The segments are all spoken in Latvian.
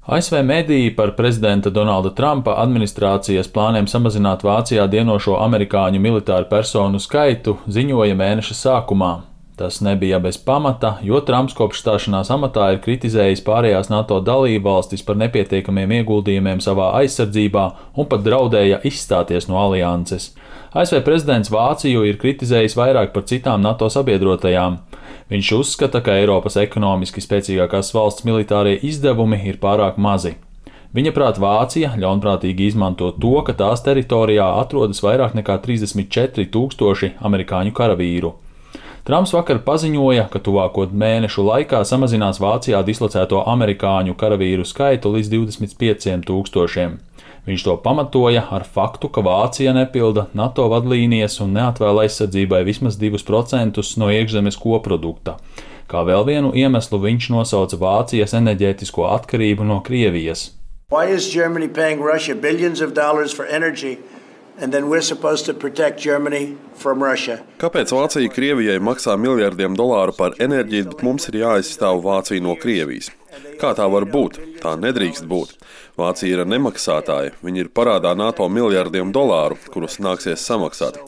ASV mediji par prezidenta Donalda Trumpa administrācijas plāniem samazināt Vācijā dienošo amerikāņu militāru personu skaitu ziņoja mēneša sākumā. Tas nebija bez pamata, jo Trumps kopš stāšanās amatā ir kritizējis pārējās NATO dalībvalstis par nepietiekamiem ieguldījumiem savā aizsardzībā un pat draudēja izstāties no alianses. ASV prezidents Vāciju ir kritizējis vairāk par citām NATO sabiedrotajām. Viņš uzskata, ka Eiropas ekonomiski spēcīgākās valsts militārie izdevumi ir pārāk mazi. Viņa prāt Vācija ļaunprātīgi izmanto to, ka tās teritorijā atrodas vairāk nekā 34,000 amerikāņu karavīru. Trumps vakar paziņoja, ka tuvāko mēnešu laikā samazinās Vācijā dislocēto amerikāņu karavīru skaitu līdz 25,000. Viņš to pamatoja ar faktu, ka Vācija nepilda NATO vadlīnijas un neatvēl aizsardzībai vismaz 2% no iekšzemes koprodukta. Kā vēl vienu iemeslu viņš nosauca Vācijas enerģētisko atkarību no Krievijas. Why is Germany paying Russia billions of dollars for energy? And then we're supposed to protect Germany from Russia. Kāpēc Vācija Krievijai maksā miljardiem dolāru par enerģiju, bet mums ir jāaizstāv Vācija no Krievijas? Kā tā var būt? Tā nedrīkst būt. Vācija ir nemaksātāja. Viņi ir parādā NATO miljardiem dolāru, kurus nāksies samaksāt.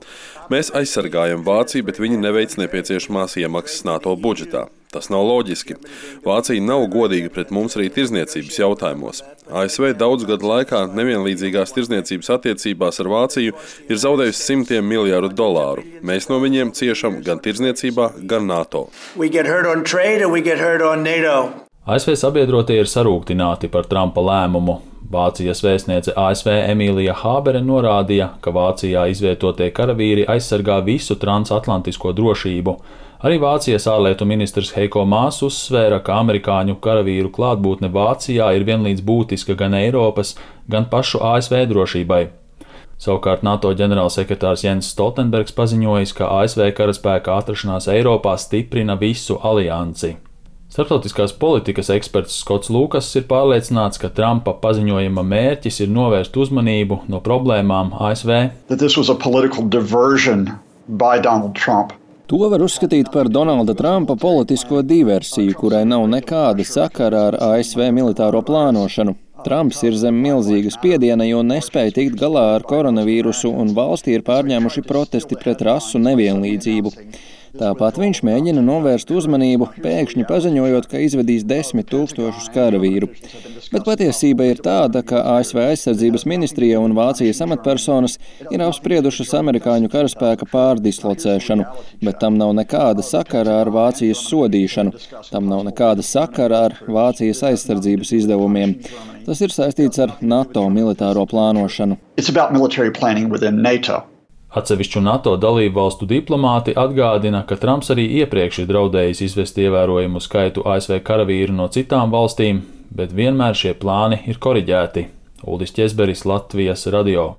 Mēs aizsargājam Vāciju, bet viņi neveic nepieciešamās iemaksas NATO budžetā. Tas nav loģiski. Vācija nav godīga pret mums arī tirdzniecības jautājumos. ASV daudzu gadu laikā nevienlīdzīgās tirdzniecības attiecībās ar Vāciju ir zaudējusi simtiem miljardu dolāru. Mēs no viņiem ciešam gan tirdzniecībā, gan NATO. ASV sabiedrotie ir sarūktināti par Trumpa lēmumu. Vācijas vēstniece ASV Emīlija Hābere norādīja, ka Vācijā izvietotie karavīri aizsargā visu transatlantisko drošību. Arī Vācijas ārlietu ministrs Heiko Maas uzsvēra, ka amerikāņu karavīru klātbūtne Vācijā ir vienlīdz būtiska gan Eiropas, gan pašu ASV drošībai. Savukārt NATO ģenerālsekretārs Jens Stoltenbergs paziņojis, ka ASV karaspēka atrašanās Eiropā stiprina visu aliansi. Starptautiskās politikas eksperts Skots Lukas ir pārliecināts, ka Trumpa paziņojuma mērķis ir novērst uzmanību no problēmām ASV. To var uzskatīt par Donalda Trumpa politisko diversiju, kurai nav nekāda sakara ar ASV militāro plānošanu. Trumps ir zem milzīga spiediena, jo nespēja tikt galā ar koronavīrusu un valstī ir pārņēmuši protesti pret rasu nevienlīdzību. Tāpat viņš mēģina novērst uzmanību, pēkšņi paziņojot, ka izvedīs 10,000 karavīru. Bet patiesība ir tāda, ka ASV aizsardzības ministrija un Vācijas amatpersonas ir apspriedušas amerikāņu karaspēka pārdislocēšanu, bet tam nav nekāda sakara ar Vācijas sodīšanu, tam nav nekāda sakara ar Vācijas aizsardzības izdevumiem. Tas ir saistīts ar NATO militāro plānošanu. Atsevišķu NATO dalībvalstu diplomāti atgādina, ka Trumps arī iepriekš ir draudējis izvest ievērojumu skaitu ASV karavīru no citām valstīm, bet vienmēr šie plāni ir koriģēti. Uldis Ķezberis, Latvijas radio.